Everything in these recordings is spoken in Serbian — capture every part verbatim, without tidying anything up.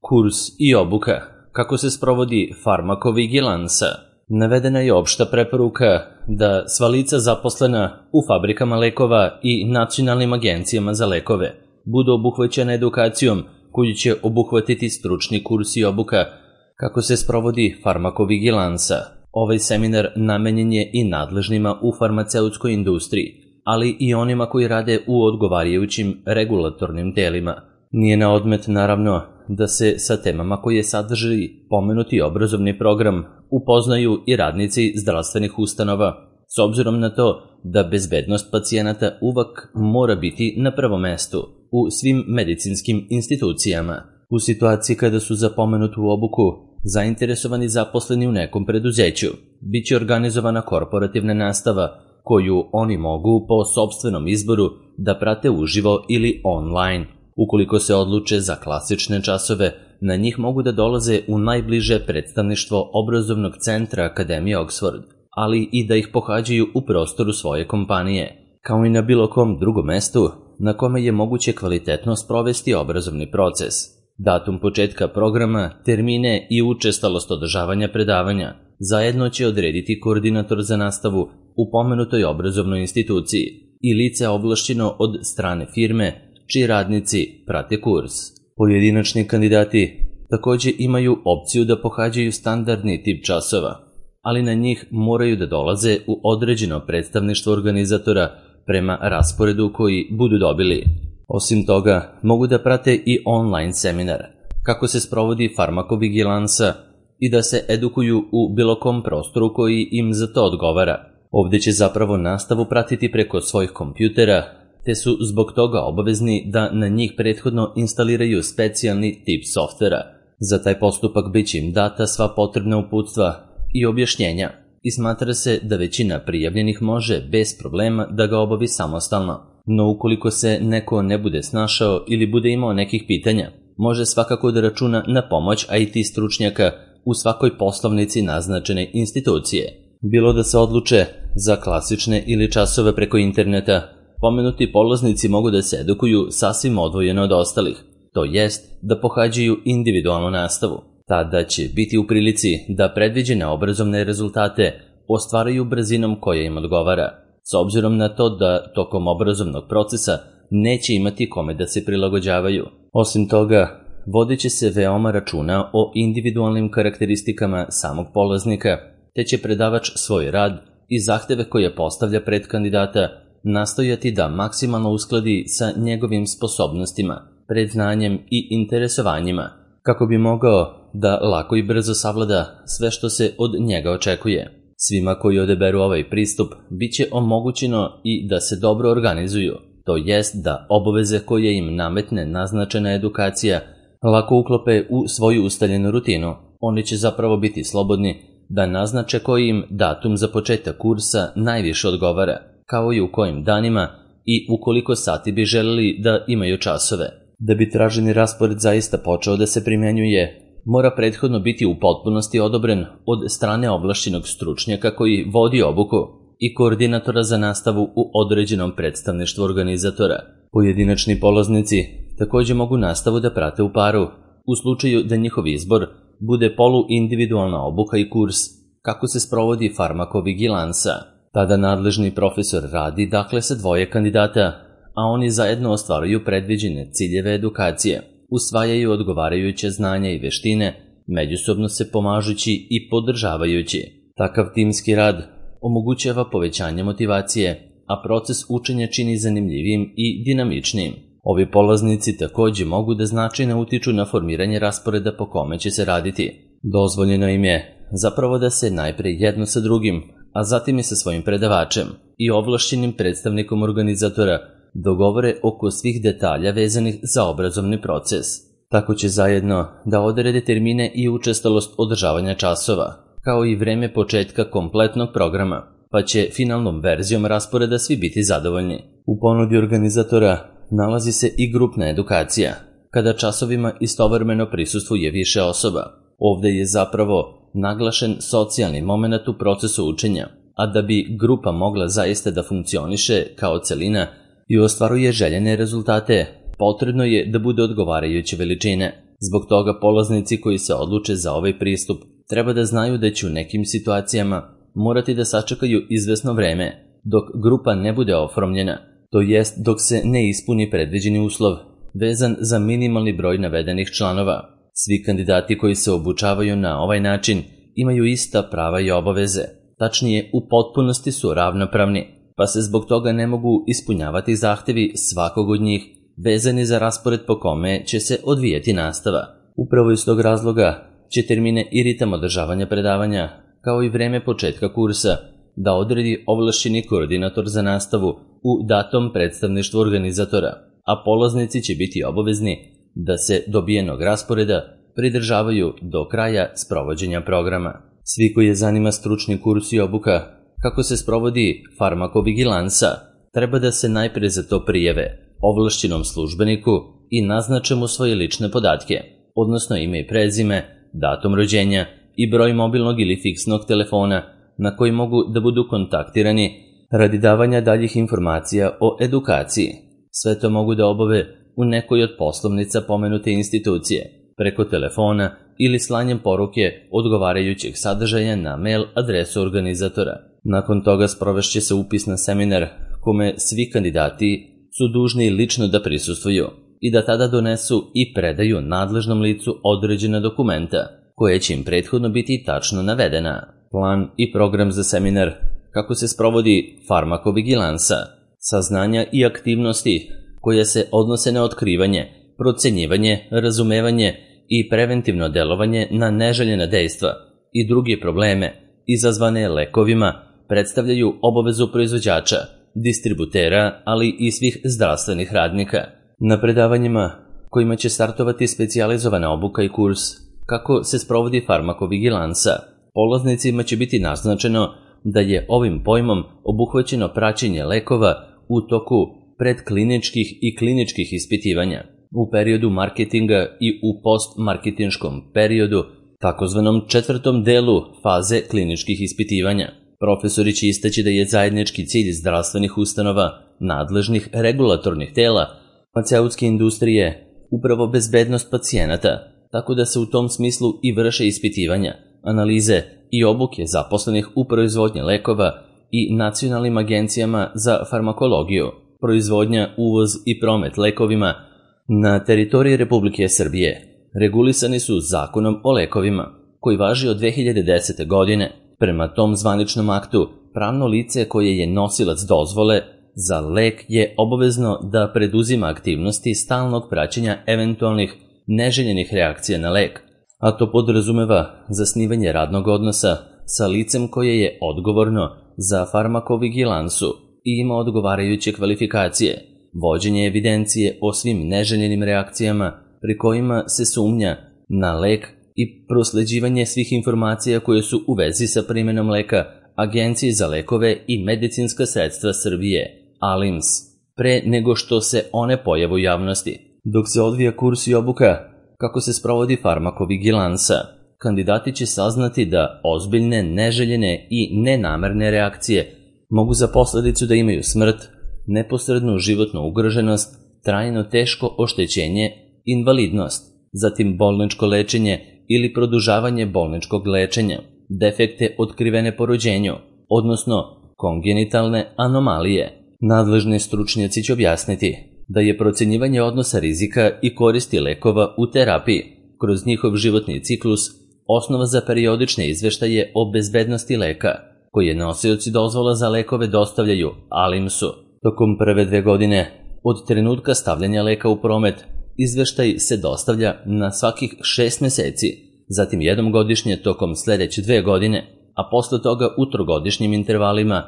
Kurs i obuka. Kako se sprovodi farmakovigilansa? Navedena je opšta preporuka da sva lica zaposlena u fabrikama lekova i nacionalnim agencijama za lekove budu obuhvaćena edukacijom koju će obuhvatiti stručni kurs i obuka kako se sprovodi farmakovigilansa. Ovaj seminar namenjen je i nadležnima u farmaceutskoj industriji, ali i onima koji rade u odgovarajućim regulatornim telima. Nije na odmet, naravno, da se sa temama koje sadrži pomenuti obrazovni program upoznaju i radnici zdravstvenih ustanova, s obzirom na to da bezbednost pacijenata uvek mora biti na prvom mestu u svim medicinskim institucijama. U situaciji kada su za pomenutu obuku zainteresovani zaposleni u nekom preduzeću, bit će organizovana korporativna nastava koju oni mogu po sopstvenom izboru da prate uživo ili online. Ukoliko se odluče za klasične časove, na njih mogu da dolaze u najbliže predstavništvo obrazovnog centra Akademije Oxford, ali i da ih pohađaju u prostoru svoje kompanije, kao i na bilo kom drugom mestu na kome je moguće kvalitetno sprovesti obrazovni proces. Datum početka programa, termine i učestalost održavanja predavanja zajedno će odrediti koordinator za nastavu u pomenutoj obrazovnoj instituciji i lice ovlašćeno od strane firme čiji radnici prate kurs. Pojedinačni kandidati takođe imaju opciju da pohađaju standardni tip časova, ali na njih moraju da dolaze u određeno predstavništvo organizatora prema rasporedu koji budu dobili. Osim toga, mogu da prate i online seminar, kako se sprovodi farmakovigilansa i da se edukuju u bilo kom prostoru koji im za to odgovara. Ovde će zapravo nastavu pratiti preko svojih kompjutera, te su zbog toga obavezni da na njih prethodno instaliraju specijalni tip softvera. Za taj postupak bit će im data sva potrebna uputstva i objašnjenja i smatra se da većina prijavljenih može bez problema da ga obavi samostalno. No ukoliko se neko ne bude snašao ili bude imao nekih pitanja, može svakako da računa na pomoć I T stručnjaka u svakoj poslovnici naznačene institucije. Bilo da se odluče za klasične ili časove preko interneta, pomenuti polaznici mogu da se edukuju sasvim odvojeno od ostalih, to jest da pohađaju individualnu nastavu. Tada će biti u prilici da predviđene obrazovne rezultate ostvaraju brzinom koja im odgovara, s obzirom na to da tokom obrazovnog procesa neće imati kome da se prilagođavaju. Osim toga, vodit će se veoma računa o individualnim karakteristikama samog polaznika, te će predavač svoj rad i zahteve koje postavlja pred kandidata nastojati da maksimalno uskladi sa njegovim sposobnostima, predznanjem i interesovanjima, kako bi mogao da lako i brzo savlada sve što se od njega očekuje. Svima koji odeberu ovaj pristup bit će omogućeno i da se dobro organizuju, to jest da obaveze koje im nametne naznačena edukacija lako uklope u svoju ustaljenu rutinu. Oni će zapravo biti slobodni da naznače koji im datum za početak kursa najviše odgovara, kao i u kojim danima i u koliko sati bi želeli da imaju časove. Da bi traženi raspored zaista počeo da se primenjuje, mora prethodno biti u potpunosti odobren od strane ovlašćenog stručnjaka koji vodi obuku i koordinatora za nastavu u određenom predstavništvu organizatora. Pojedinačni polaznici takođe mogu nastavu da prate u paru, u slučaju da njihov izbor bude poluindividualna obuka i kurs kako se sprovodi farmakovigilansa. Tada nadležni profesor radi dakle sa dvoje kandidata, a oni zajedno ostvaruju predviđene ciljeve edukacije, usvajaju odgovarajuće znanja i veštine, međusobno se pomažući i podržavajući. Takav timski rad omogućava povećanje motivacije, a proces učenja čini zanimljivijim i dinamičnijim. Ovi polaznici takođe mogu da značajno utiču na formiranje rasporeda po kome će se raditi. Dozvoljeno im je zapravo da se najpre jedno sa drugim, a zatim i sa svojim predavačem i ovlašćenim predstavnikom organizatora dogovore oko svih detalja vezanih za obrazovni proces. Tako će zajedno da odrede termine i učestalost održavanja časova, kao i vreme početka kompletnog programa, pa će finalnom verzijom rasporeda svi biti zadovoljni. U ponudi organizatora nalazi se i grupna edukacija, kada časovima istovremeno prisustvuje više osoba. Ovde je zapravo naglašen socijalni moment u procesu učenja, a da bi grupa mogla zaista da funkcioniše kao celina i ostvaruje željene rezultate, potrebno je da bude odgovarajuće veličine. Zbog toga polaznici koji se odluče za ovaj pristup treba da znaju da će u nekim situacijama morati da sačekaju izvesno vreme dok grupa ne bude oformljena, to jest dok se ne ispuni predviđeni uslov vezan za minimalni broj navedenih članova. Svi kandidati koji se obučavaju na ovaj način imaju ista prava i obaveze, tačnije u potpunosti su ravnopravni, pa se zbog toga ne mogu ispunjavati zahtevi svakog od njih vezani za raspored po kome će se odvijeti nastava. Upravo iz tog razloga će termine i ritam održavanja predavanja, kao i vreme početka kursa, da odredi ovlašćeni koordinator za nastavu u datom predstavništvu organizatora, a polaznici će biti obavezni da se dobijenog rasporeda pridržavaju do kraja sprovođenja programa. Svi koji je zanima stručni kurs i obuka kako se sprovodi farmakovigilansa, treba da se najpre za to prijave ovlašćenom službeniku i naznače mu svoje lične podatke, odnosno ime i prezime, datum rođenja i broj mobilnog ili fiksnog telefona na koji mogu da budu kontaktirani radi davanja daljih informacija o edukaciji. Sve to mogu da obave u nekoj od poslovnica pomenute institucije, preko telefona ili slanjem poruke odgovarajućeg sadržaja na mail adresu organizatora. Nakon toga sprovešće se upis na seminar kome svi kandidati su dužni lično da prisustvuju i da tada donesu i predaju nadležnom licu određena dokumenta koje će im prethodno biti tačno navedena. Plan i program za seminar, kako se sprovodi farmakovigilansa, saznanja i aktivnosti koje se odnose na otkrivanje, procenjivanje, razumevanje i preventivno delovanje na neželjena dejstva i druge probleme izazvane lekovima, predstavljaju obavezu proizvođača, distributera, ali i svih zdravstvenih radnika. Na predavanjima kojima će startovati specijalizovana obuka i kurs kako se sprovodi farmakovigilansa, polaznicima će biti naznačeno da je ovim pojmom obuhvaćeno praćenje lekova u toku predkliničkih i kliničkih ispitivanja, u periodu marketinga i u postmarketinškom periodu, takozvanom četvrtom delu faze kliničkih ispitivanja. Profesori će istaći da je zajednički cilj zdravstvenih ustanova, nadležnih regulatornih tela, farmaceutske industrije, upravo bezbednost pacijenata, tako da se u tom smislu i vrše ispitivanja, analize i obuke zaposlenih u proizvodnji lekova i nacionalnim agencijama za farmakologiju, proizvodnja, uvoz i promet lekovima na teritoriji Republike Srbije. Regulisani su Zakonom o lekovima, koji važi od dve hiljade desete. godine. Prema tom zvaničnom aktu, pravno lice koje je nosilac dozvole za lek je obavezno da preduzima aktivnosti stalnog praćenja eventualnih neželjenih reakcija na lek, a to podrazumeva zasnivanje radnog odnosa sa licem koje je odgovorno za farmakovigilansu i ima odgovarajuće kvalifikacije, vođenje evidencije o svim neželjenim reakcijama pri kojima se sumnja na lek i prosleđivanje svih informacija koje su u vezi sa primjenom leka Agenciji za lekove i medicinska sredstva Srbije, A L I M S, pre nego što se one pojave u javnosti. Dok se odvija kurs i obuka kako se sprovodi farmakovigilansa, kandidati će saznati da ozbiljne, neželjene i nenamerne reakcije mogu za posledicu da imaju smrt, neposrednu životnu ugroženost, trajno teško oštećenje, invalidnost, zatim bolničko lečenje ili produžavanje bolničkog lečenja, defekte otkrivene po rođenju, odnosno kongenitalne anomalije. Nadležni stručnjaci će objasniti da je procenjivanje odnosa rizika i koristi lekova u terapiji kroz njihov životni ciklus osnova za periodične izveštaje o bezbednosti leka, koje nosioci dozvola za lekove dostavljaju A L I M S-u. Tokom prve dve godine od trenutka stavljanja leka u promet, izveštaj se dostavlja na svakih šest meseci, zatim jednom godišnje tokom sledeće dve godine, a posle toga u trogodišnjim intervalima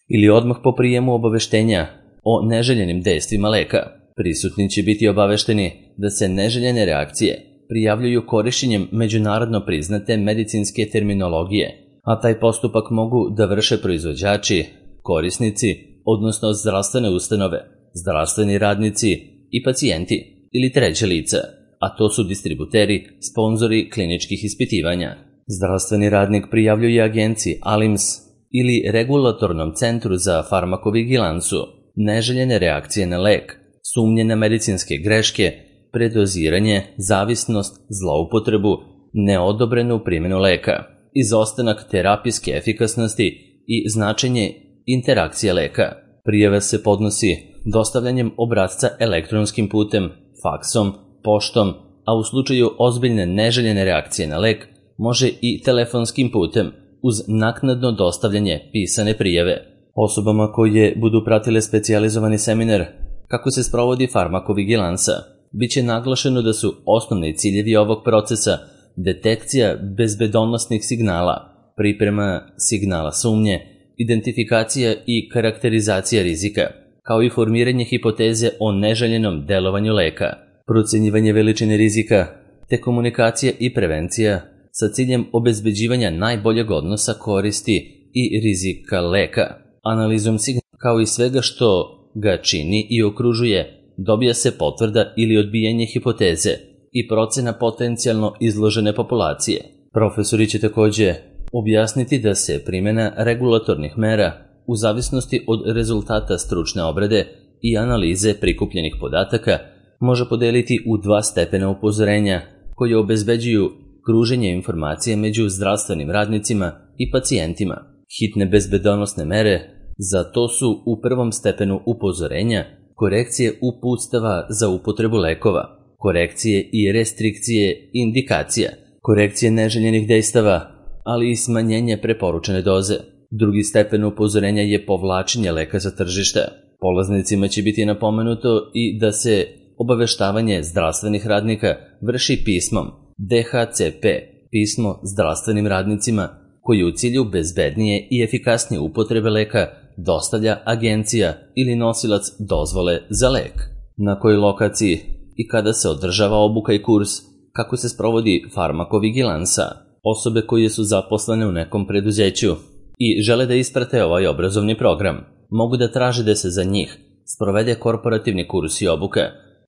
ili odmah po prijemu obaveštenja o neželjenim dejstvima leka. Prisutni će biti obavešteni da se neželjene reakcije prijavljuju korišćenjem međunarodno priznate medicinske terminologije, a taj postupak mogu da vrše proizvođači, korisnici, odnosno zdravstvene ustanove, zdravstveni radnici i pacijenti ili treće lica, a to su distributeri, sponzori kliničkih ispitivanja. Zdravstveni radnik prijavljuje agenciji A L I M S ili regulatornom centru za farmakovigilansu neželjene reakcije na lek, sumnje na medicinske greške, predoziranje, zavisnost, zloupotrebu, neodobrenu primjenu leka, izostanak terapijske efikasnosti i značenje interakcije leka. Prijava se podnosi dostavljanjem obrasca elektronskim putem, faksom, poštom, a u slučaju ozbiljne neželjene reakcije na lek može i telefonskim putem uz naknadno dostavljanje pisane prijave. Osobama koje budu pratile specijalizovani seminar kako se sprovodi farmakovigilansa, bit će naglašeno da su osnovni ciljevi ovog procesa detekcija bezbedonosnih signala, priprema signala sumnje, identifikacija i karakterizacija rizika, kao i formiranje hipoteze o neželjenom delovanju leka, procenjivanje veličine rizika, te komunikacija i prevencija sa ciljem obezbeđivanja najboljeg odnosa koristi i rizika leka. Analizom signala kao i svega što ga čini i okružuje, dobija se potvrda ili odbijanje hipoteze i procena potencijalno izložene populacije. Profesori će takođe objasniti da se primjena regulatornih mera u zavisnosti od rezultata stručne obrade i analize prikupljenih podataka može podeliti u dva stepena upozorenja koje obezbeđuju kruženje informacije među zdravstvenim radnicima i pacijentima. Hitne bezbedonosne mere za to su u prvom stepenu upozorenja korekcije uputstava za upotrebu lekova, korekcije i restrikcije indikacija, korekcije neželjenih dejstava, ali i smanjenje preporučene doze. Drugi stepen upozorenja je povlačenje leka sa tržišta. Polaznicima će biti napomenuto i da se obaveštavanje zdravstvenih radnika vrši pismom D H C P, pismo zdravstvenim radnicima, koji u cilju bezbednije i efikasnije upotrebe leka dostavlja agencija ili nosilac dozvole za lek. Na kojoj lokaciji i kada se održava obuka i kurs, kako se sprovodi farmakovigilansa. Osobe koje su zaposlene u nekom preduzeću i žele da isprate ovaj obrazovni program, mogu da traže da se za njih sprovede korporativni kurs i obuka,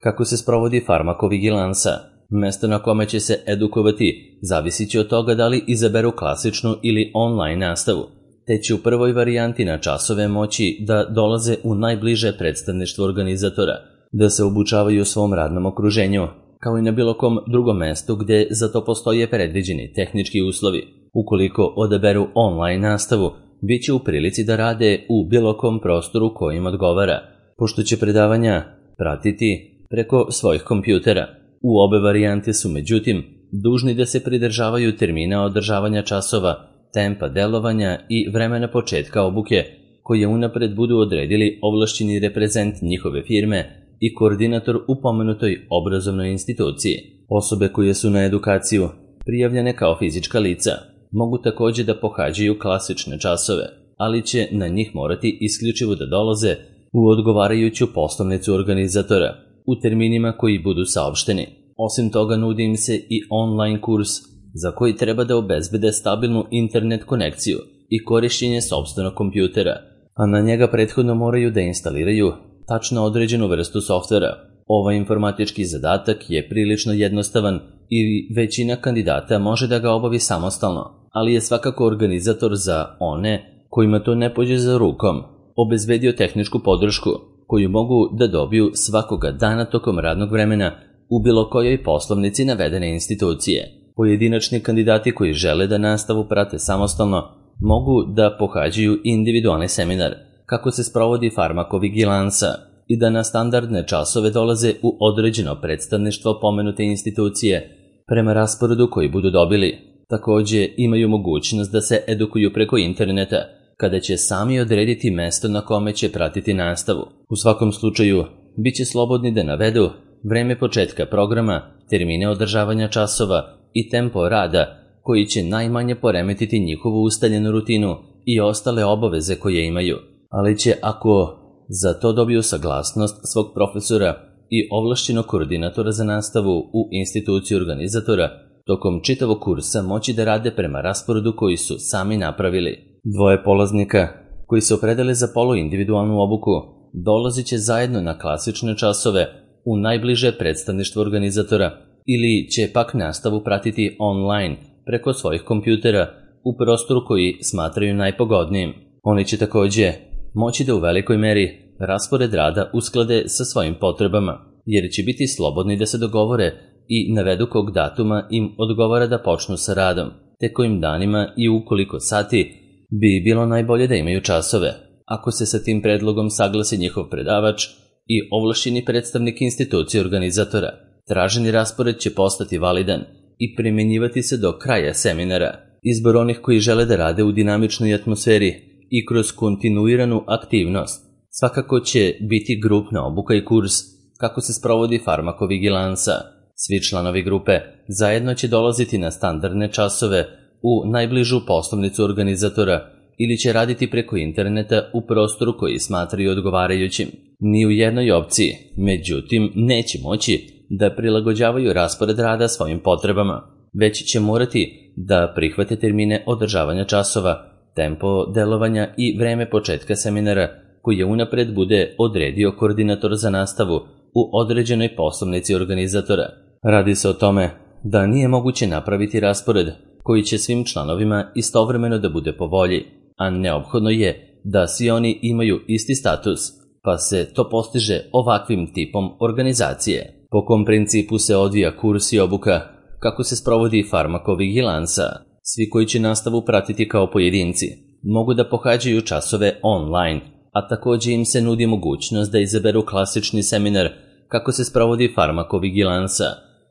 kako se sprovodi farmakovigilansa. Mesto na kome će se edukovati zavisit će od toga da li izaberu klasičnu ili online nastavu, te će u prvoj varijanti na časove moći da dolaze u najbliže predstavništvo organizatora, da se obučavaju u svom radnom okruženju, kao i na bilo kom drugom mestu gde za to postoje predviđeni tehnički uslovi. Ukoliko odaberu online nastavu, bit će u prilici da rade u bilo kom prostoru kojim odgovara, pošto će predavanja pratiti preko svojih kompjutera. U obe varijante su, međutim, dužni da se pridržavaju termina održavanja časova, tempa delovanja i vremena početka obuke, koje unapred budu odredili ovlašćeni reprezent njihove firme i koordinator u pomenutoj obrazovnoj instituciji. Osobe koje su na edukaciju prijavljene kao fizička lica mogu takođe da pohađaju klasične časove, ali će na njih morati isključivo da dolaze u odgovarajuću poslovnicu organizatora u terminima koji budu saopšteni. Osim toga, nudi im se i online kurs za koji treba da obezbede stabilnu internet konekciju i korišćenje sopstvenog kompjutera, a na njega prethodno moraju da instaliraju tačno određenu vrstu softvera. Ovaj informatički zadatak je prilično jednostavan i većina kandidata može da ga obavi samostalno, ali je svakako organizator za one kojima to ne pođe za rukom obezbedio tehničku podršku koju mogu da dobiju svakoga dana tokom radnog vremena u bilo kojoj poslovnici navedene institucije. Pojedinačni kandidati koji žele da nastavu prate samostalno mogu da pohađaju individualni seminar kako se sprovodi farmakovigilansa i da na standardne časove dolaze u određeno predstavništvo pomenute institucije prema rasporedu koji budu dobili. Takođe imaju mogućnost da se edukuju preko interneta, kada će sami odrediti mesto na kome će pratiti nastavu. U svakom slučaju, bit će slobodni da navedu vreme početka programa, termine održavanja časova i tempo rada koji će najmanje poremetiti njihovu ustaljenu rutinu i ostale obaveze koje imaju, ali će, ako za to dobiju saglasnost svog profesora i ovlašćenog koordinatora za nastavu u instituciji organizatora, tokom čitavog kursa moći da rade prema rasporedu koji su sami napravili. Dvoje polaznika koji se opredele za poluindividualnu obuku dolazit će zajedno na klasične časove u najbliže predstavništvo organizatora ili će pak nastavu pratiti online preko svojih kompjutera u prostoru koji smatraju najpogodnijim. Oni će takođe moći da u velikoj meri raspored rada usklade sa svojim potrebama. jer će biti slobodni da se dogovore i navedu kog datuma im odgovara da počnu sa radom, te kojim danima i u koliko sati bi bilo najbolje da imaju časove. Ako se sa tim predlogom saglasi njihov predavač i ovlašćeni predstavnik institucije organizatora, traženi raspored će postati validan i primenjivati se do kraja seminara. Izbor onih koji žele da rade u dinamičnoj atmosferi i kroz kontinuiranu aktivnost svakako će biti grupna obuka i kurs kako se sprovodi farmakovigilansa. Svi članovi grupe zajedno će dolaziti na standardne časove u najbližu poslovnicu organizatora ili će raditi preko interneta u prostoru koji smatraju odgovarajućim. Ni u jednoj opciji, međutim, neće moći da prilagođavaju raspored rada svojim potrebama, već će morati da prihvate termine održavanja časova, tempo delovanja i vreme početka seminara koji je unapred bude odredio koordinator za nastavu u određenoj poslovnici organizatora. Radi se o tome da nije moguće napraviti raspored koji će svim članovima istovremeno da bude po volji, a neophodno je da svi oni imaju isti status, pa se to postiže ovakvim tipom organizacije. Po kom principu se odvija kurs i obuka, kako se sprovodi farmakovigilansa. Svi koji će nastavu pratiti kao pojedinci mogu da pohađaju časove online, a takođe im se nudi mogućnost da izaberu klasični seminar kako se sprovodi farmakovigilansa.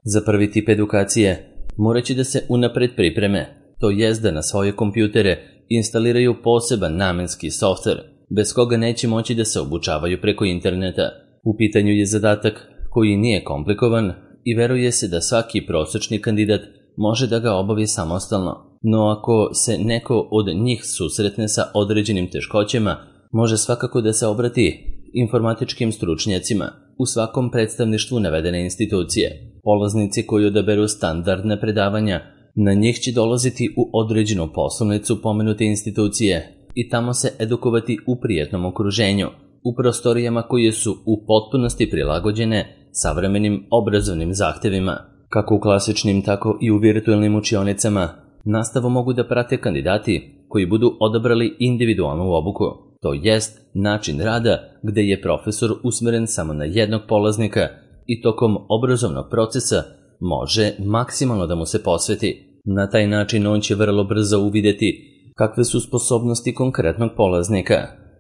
Za prvi tip edukacije moraće da se unapred pripreme, to jest da na svoje kompjutere instaliraju poseban namenski softver, bez koga neće moći da se obučavaju preko interneta. U pitanju je zadatak koji nije komplikovan i veruje se da svaki prosečni kandidat može da ga obavi samostalno, no ako se neko od njih susretne sa određenim teškoćama, može svakako da se obrati informatičkim stručnjacima u svakom predstavništvu navedene institucije. Polaznici koji odaberu standardne predavanja, na njih će dolaziti u određenu poslovnicu pomenute institucije i tamo se edukovati u prijatnom okruženju, u prostorijama koje su u potpunosti prilagođene savremenim obrazovnim zahtevima. Kako u klasičnim, tako i u virtualnim učionicama, nastavu mogu da prate kandidati koji budu odabrali individualnu obuku, to jest način rada gde je profesor usmeren samo na jednog polaznika i tokom obrazovnog procesa može maksimalno da mu se posveti. Na taj način on će vrlo brzo uvideti kakve su sposobnosti konkretnog polaznika,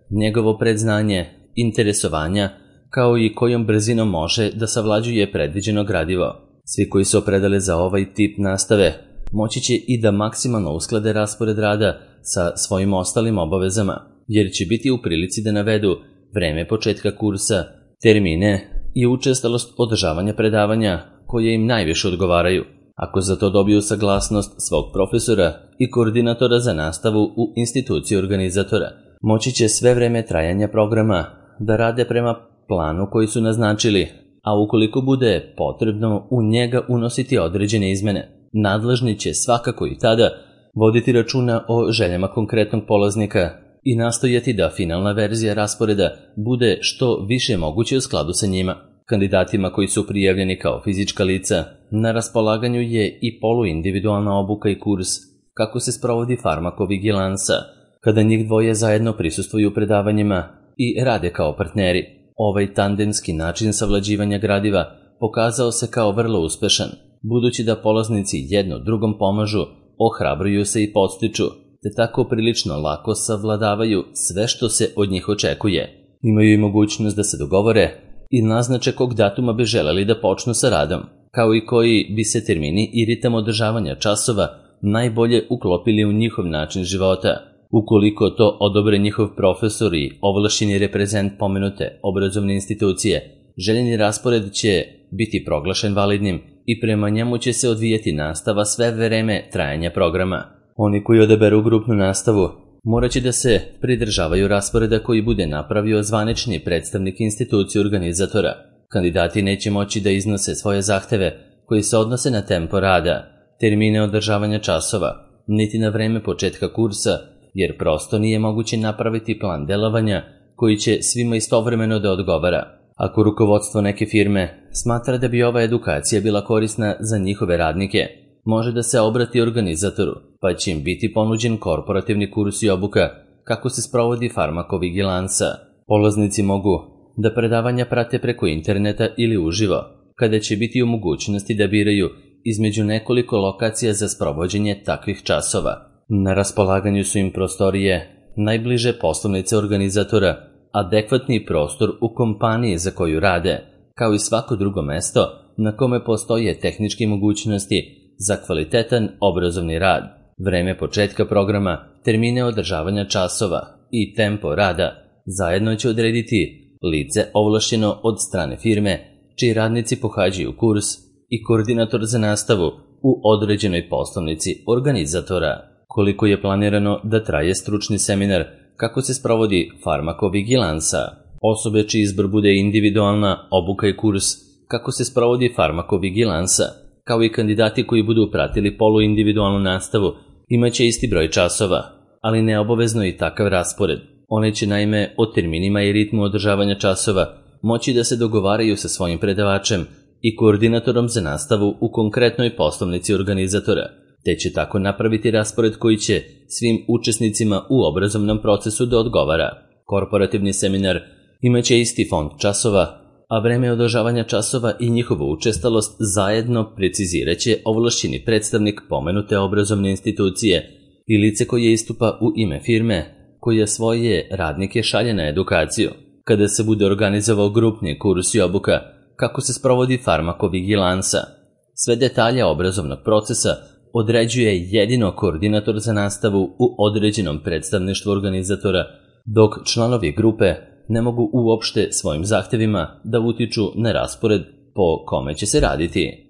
njegovo predznanje, interesovanja, kao i kojom brzinom može da savlađuje predviđeno gradivo. Svi koji se opredele za ovaj tip nastave moći će i da maksimalno usklade raspored rada sa svojim ostalim obavezama, jer će biti u prilici da navedu vreme početka kursa, termine i učestalost održavanja predavanja koje im najviše odgovaraju. Ako za to dobiju saglasnost svog profesora i koordinatora za nastavu u instituciji organizatora, moći će sve vreme trajanja programa da rade prema planu koji su naznačili, a ukoliko bude potrebno u njega unositi određene izmene, nadležni će svakako i tada voditi računa o željama konkretnog polaznika i nastojati da finalna verzija rasporeda bude što više moguće u skladu sa njima. Kandidatima koji su prijavljeni kao fizička lica, na raspolaganju je i poluindividualna obuka i kurs kako se sprovodi farmakovigilansa, kada njih dvoje zajedno prisustvuju predavanjima i rade kao partneri. Ovaj tandemski način savlađivanja gradiva pokazao se kao vrlo uspešan, budući da polaznici jedno drugom pomažu, ohrabruju se i podstiču, te tako prilično lako savladavaju sve što se od njih očekuje. Imaju i mogućnost da se dogovore i naznače kog datuma bi želeli da počnu sa radom, kao i koji bi se termini i ritam održavanja časova najbolje uklopili u njihov način života. Ukoliko to odobre njihov profesor i ovlašćeni reprezent pomenute obrazovne institucije, željeni raspored će biti proglašen validnim i prema njemu će se odvijati nastava sve vreme trajanja programa. Oni koji odaberu grupnu nastavu morat će da se pridržavaju rasporeda koji bude napravio zvanični predstavnik institucije organizatora. Kandidati neće moći da iznose svoje zahteve koji se odnose na tempo rada, termine održavanja časova, niti na vreme početka kursa, jer prosto nije moguće napraviti plan delovanja koji će svima istovremeno da odgovara. Ako rukovodstvo neke firme smatra da bi ova edukacija bila korisna za njihove radnike, može da se obrati organizatoru, pa će im biti ponuđen korporativni kurs i obuka kako se sprovodi farmakovigilansa. Polaznici mogu da predavanja prate preko interneta ili uživo, kada će biti u mogućnosti da biraju između nekoliko lokacija za sprovođenje takvih časova. Na raspolaganju su im prostorije najbliže poslovnice organizatora, adekvatni prostor u kompaniji za koju rade, kao i svako drugo mesto na kome postoje tehničke mogućnosti za kvalitetan obrazovni rad, vreme početka programa, termine održavanja časova i tempo rada zajedno će odrediti lice ovlašćeno od strane firme čiji radnici pohađaju kurs i koordinator za nastavu u određenoj poslovnici organizatora. Koliko je planirano da traje stručni seminar kako se sprovodi farmakovigilansa? Osobe čiji izbor bude individualna obuka i kurs kako se sprovodi farmakovigilansa, kao i kandidati koji budu pratili poluindividualnu nastavu, imaće isti broj časova, ali neobavezno i takav raspored. One će naime o terminima i ritmu održavanja časova moći da se dogovaraju sa svojim predavačem i koordinatorom za nastavu u konkretnoj poslovnici organizatora, te će tako napraviti raspored koji će svim učesnicima u obrazovnom procesu da odgovara. Korporativni seminar imaće isti fond časova, a vreme održavanja časova i njihovu učestalost zajedno preciziraće ovlašćeni predstavnik pomenute obrazovne institucije i lice koje istupa u ime firme koja svoje radnike šalje na edukaciju. Kada se bude organizovao grupni kurs i obuka kako se sprovodi farmakovigilansa, sve detalje obrazovnog procesa određuje jedino koordinator za nastavu u određenom predstavništvu organizatora, dok članovi grupe ne mogu uopšte svojim zahtevima da utiču na raspored po kome će se raditi.